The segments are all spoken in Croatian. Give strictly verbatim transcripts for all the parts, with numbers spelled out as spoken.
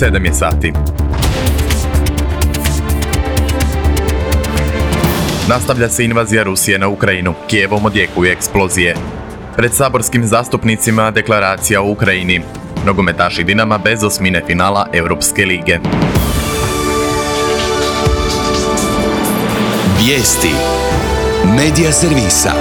sedam je sati. Nastavlja se invazija Rusije na Ukrajinu. Kijevom odjekuju eksplozije. Pred saborskim zastupnicima deklaracija o Ukrajini. Nogometaši Dinama bez osmine finala Europske lige. Vijesti Medija servisa.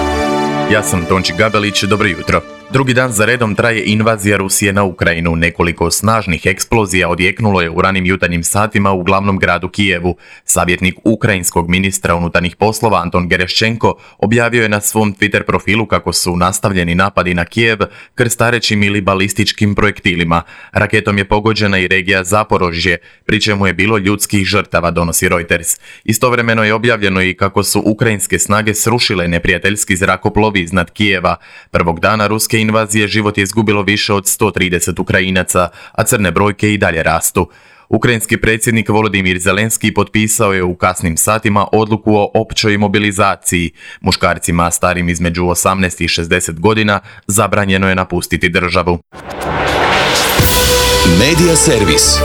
Ja sam Tonči Gabelić, dobro jutro. Drugi dan za redom traje invazija Rusije na Ukrajinu. Nekoliko snažnih eksplozija odjeknulo je u ranim jutarnjim satima u glavnom gradu Kijevu. Savjetnik ukrajinskog ministra unutarnjih poslova Anton Gereščenko objavio je na svom Twitter profilu kako su nastavljeni napadi na Kijev krstarećim ili balističkim projektilima. Raketom je pogođena i regija Zaporožje, pri čemu je bilo ljudskih žrtava, donosi Reuters. Istovremeno je objavljeno i kako su ukrajinske snage srušile neprijateljski zrakoplov iznad Kijeva. Prvog dana ruske invazije život je izgubilo više od sto trideset Ukrajinaca, a crne brojke i dalje rastu. Ukrajinski predsjednik Volodimir Zelenski potpisao je u kasnim satima odluku o općoj mobilizaciji. Muškarcima starim između osamnaest i šezdeset godina zabranjeno je napustiti državu. Medija servis.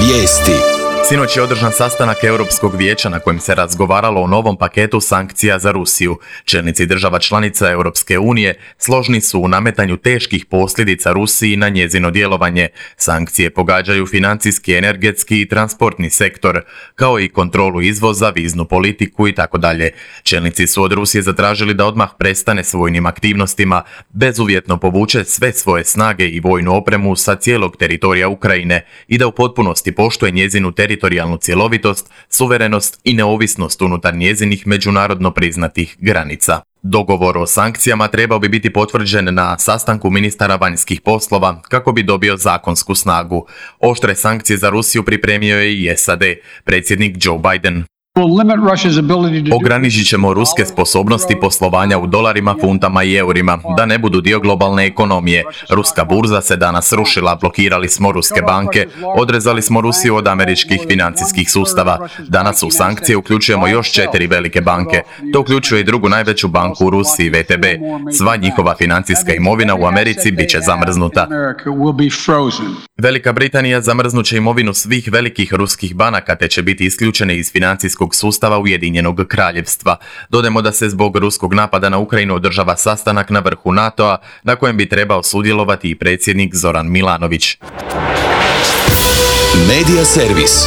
Vijesti. Sinoć je održan sastanak Europskog vijeća na kojem se razgovaralo o novom paketu sankcija za Rusiju. Čelnici država članica Europske unije složni su u nametanju teških posljedica Rusiji na njezino djelovanje. Sankcije pogađaju financijski, energetski i transportni sektor, kao i kontrolu izvoza, viznu politiku i tako dalje. Čelnici su od Rusije zatražili da odmah prestane s vojnim aktivnostima, bezuvjetno povuče sve svoje snage i vojnu opremu sa cijelog teritorija Ukrajine i da u potpunosti poštuje njezinu teritorijalnu teritorijalnu cjelovitost, suverenost i neovisnost unutar njezinih međunarodno priznatih granica. Dogovor o sankcijama trebao bi biti potvrđen na sastanku ministara vanjskih poslova kako bi dobio zakonsku snagu. Oštre sankcije za Rusiju pripremio je i S A D, predsjednik Joe Biden. Ograničit ćemo ruske sposobnosti poslovanja u dolarima, funtama i eurima, da ne budu dio globalne ekonomije. Ruska burza se danas rušila, blokirali smo ruske banke, odrezali smo Rusiju od američkih financijskih sustava. Danas u sankcije uključujemo još četiri velike banke. To uključuje i drugu najveću banku u Rusiji, V T B. Sva njihova financijska imovina u Americi bit će zamrznuta. Velika Britanija zamrznut će imovinu svih velikih ruskih banaka te će biti isključene iz financijskog sustava Ujedinjenog kraljevstva. Dodajmo da se zbog ruskog napada na Ukrajinu održava sastanak na vrhu NATO-a na kojem bi trebao sudjelovati i predsjednik Zoran Milanović. Medija servis.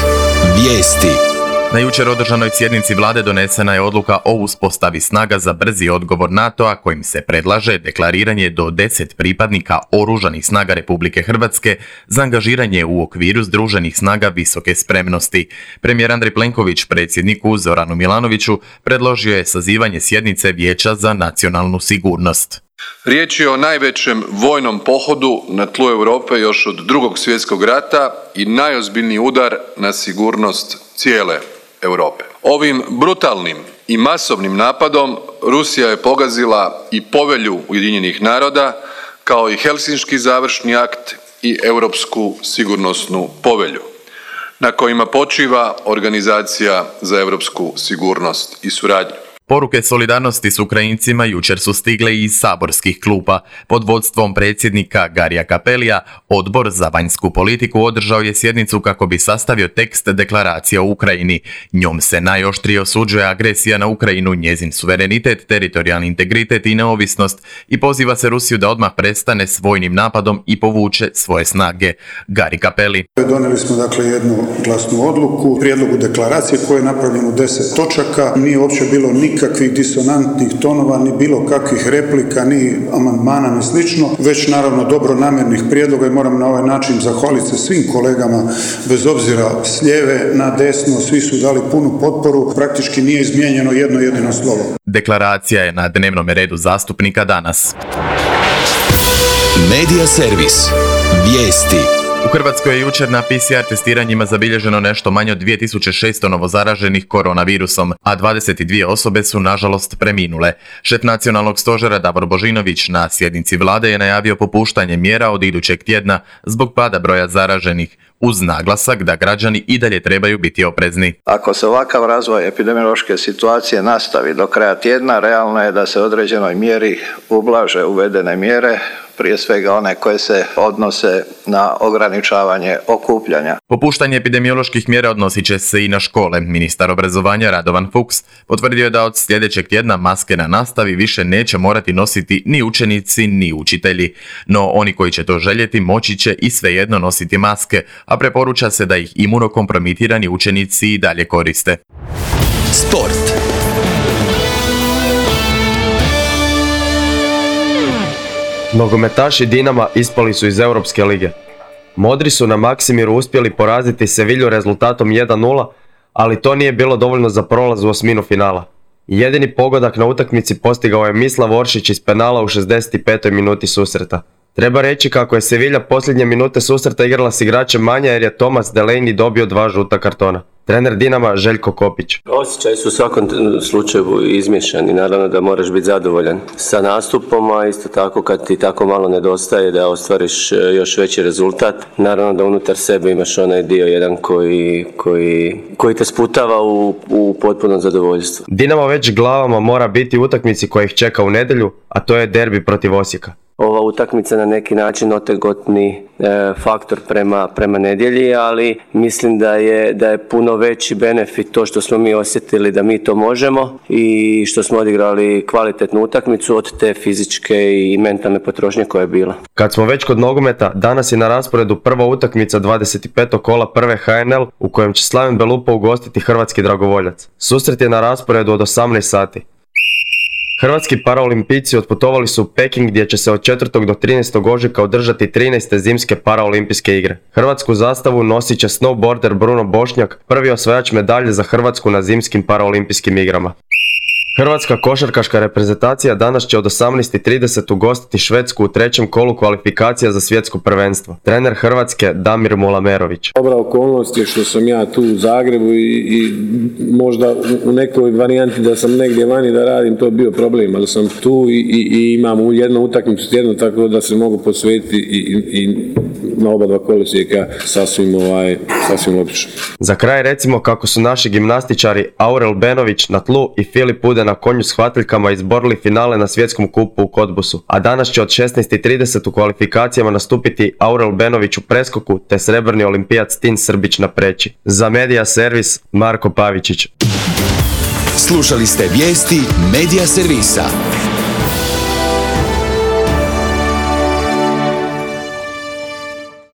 Vijesti. Na jučer održanoj sjednici vlade donesena je odluka o uspostavi snaga za brzi odgovor NATO-a kojim se predlaže deklariranje do deset pripadnika oružanih snaga Republike Hrvatske za angažiranje u okviru združenih snaga visoke spremnosti. Premijer Andrej Plenković predsjedniku Zoranu Milanoviću predložio je sazivanje sjednice Vijeća za nacionalnu sigurnost. Riječ je o najvećem vojnom pohodu na tlu Europe još od Drugog svjetskog rata i najozbiljniji udar na sigurnost cijele Europe. Ovim brutalnim i masovnim napadom Rusija je pogazila i povelju Ujedinjenih naroda, kao i Helsinški završni akt i Europsku sigurnosnu povelju, na kojima počiva Organizacija za europsku sigurnost i suradnju. Poruke solidarnosti s Ukrajincima jučer su stigle iz saborskih klupa. Pod vodstvom predsjednika Garija Cappellija, Odbor za vanjsku politiku održao je sjednicu kako bi sastavio tekst deklaracije o Ukrajini. Njom se najoštrije osuđuje agresija na Ukrajinu, njezin suverenitet, teritorijalni integritet i neovisnost i poziva se Rusiju da odmah prestane s vojnim napadom i povuče svoje snage. Gari Cappelli. Donijeli smo dakle jednu glasnu odluku, prijedlogu deklaracije koje je napravljeno u deset točaka. Nije uopće bilo nikakvih nikakvih disonantnih tonova, ni bilo kakvih replika, ni amandmana, ni slično, već naravno dobronamjernih prijedloga i moram na ovaj način zahvaliti se svim kolegama, bez obzira s lijeve na desno, svi su dali punu potporu, praktički nije izmijenjeno jedno jedino slovo. Deklaracija je na dnevnom redu zastupnika danas. Medija servis. Vijesti. U Hrvatskoj je jučer na P C R testiranjima zabilježeno nešto manje od dvije tisuće šesto novozaraženih koronavirusom, a dvadeset dvije osobe su nažalost preminule. Šef nacionalnog stožera Davor Božinović na sjednici vlade je najavio popuštanje mjera od idućeg tjedna zbog pada broja zaraženih, uz naglasak da građani i dalje trebaju biti oprezni. Ako se ovakav razvoj epidemiološke situacije nastavi do kraja tjedna, realno je da se određenoj mjeri ublaže uvedene mjere, prije svega one koje se odnose na ograničavanje okupljanja. Popuštanje epidemioloških mjera odnosit će se i na škole. Ministar obrazovanja Radovan Fuchs potvrdio je da od sljedećeg tjedna maske na nastavi više neće morati nositi ni učenici ni učitelji. No oni koji će to željeti moći će i svejedno nositi maske, a preporuča se da ih imunokompromitirani učenici i dalje koriste. Sport. Nogometaši Dinama ispali su iz Europske lige. Modri su na Maksimiru uspjeli poraziti Sevilju rezultatom jedan nula, ali to nije bilo dovoljno za prolaz u osminu finala. Jedini pogodak na utakmici postigao je Mislav Oršić iz penala u šezdeset petoj minuti susreta. Treba reći kako je Sevilja posljednje minute susreta igrala s igračem manje jer je Thomas Delaney dobio dva žuta kartona. Trener Dinama Željko Kopić. Osjećaj su u svakom slučaju izmješani, naravno da moraš biti zadovoljan sa nastupom, a isto tako kad ti tako malo nedostaje da ostvariš još veći rezultat, naravno da unutar sebe imaš onaj dio jedan koji, koji, koji te sputava u, u potpuno zadovoljstvo. Dinamo već glavama mora biti u utakmici koja ih čeka u nedjelju, a to je derbi protiv Osijeka. Ova utakmica na neki način otegotni e, faktor prema, prema nedjelji, ali mislim da je, da je puno veći benefit to što smo mi osjetili da mi to možemo i što smo odigrali kvalitetnu utakmicu od te fizičke i mentalne potrošnje koja je bila. Kad smo već kod nogometa, danas je na rasporedu prva utakmica dvadeset petog kola prve H N L u kojem će Slaven Belupo ugostiti hrvatski dragovoljac. Susret je na rasporedu od osamnaest sati. Hrvatski paraolimpijci otputovali su u Peking gdje će se od četvrtog do trinaestog ožujka održati trinaeste zimske paraolimpijske igre. Hrvatsku zastavu nosit će snowboarder Bruno Bošnjak, prvi osvajač medalje za Hrvatsku na zimskim paraolimpijskim igrama. Hrvatska košarkaška reprezentacija danas će od osamnaest i trideset ugostiti Švedsku u trećem kolu kvalifikacija za svjetsko prvenstvo. Trener Hrvatske Damir Mulamerović. Dobra okolnost je što sam ja tu u Zagrebu i, i možda u nekoj varijanti da sam negdje vani da radim, to je bio problem, ali sam tu i, i, i imam jednu utakmicu tjedno tako da se mogu posvetiti i, i, i na oba dva kolosijeka sasvim, ovaj, sasvim logično. Za kraj recimo kako su naši gimnastičari Aurel Benović na tlu i Filip Ude na konju s hvatiljkama izborili finale na svjetskom kupu u Kotbusu, a danas će od šesnaest i trideset u kvalifikacijama nastupiti Aurel Benović u preskoku te srebrni olimpijac Tin Srbić na preći. Za Media Servis Marko Pavičić. Slušali ste vijesti Media Servisa.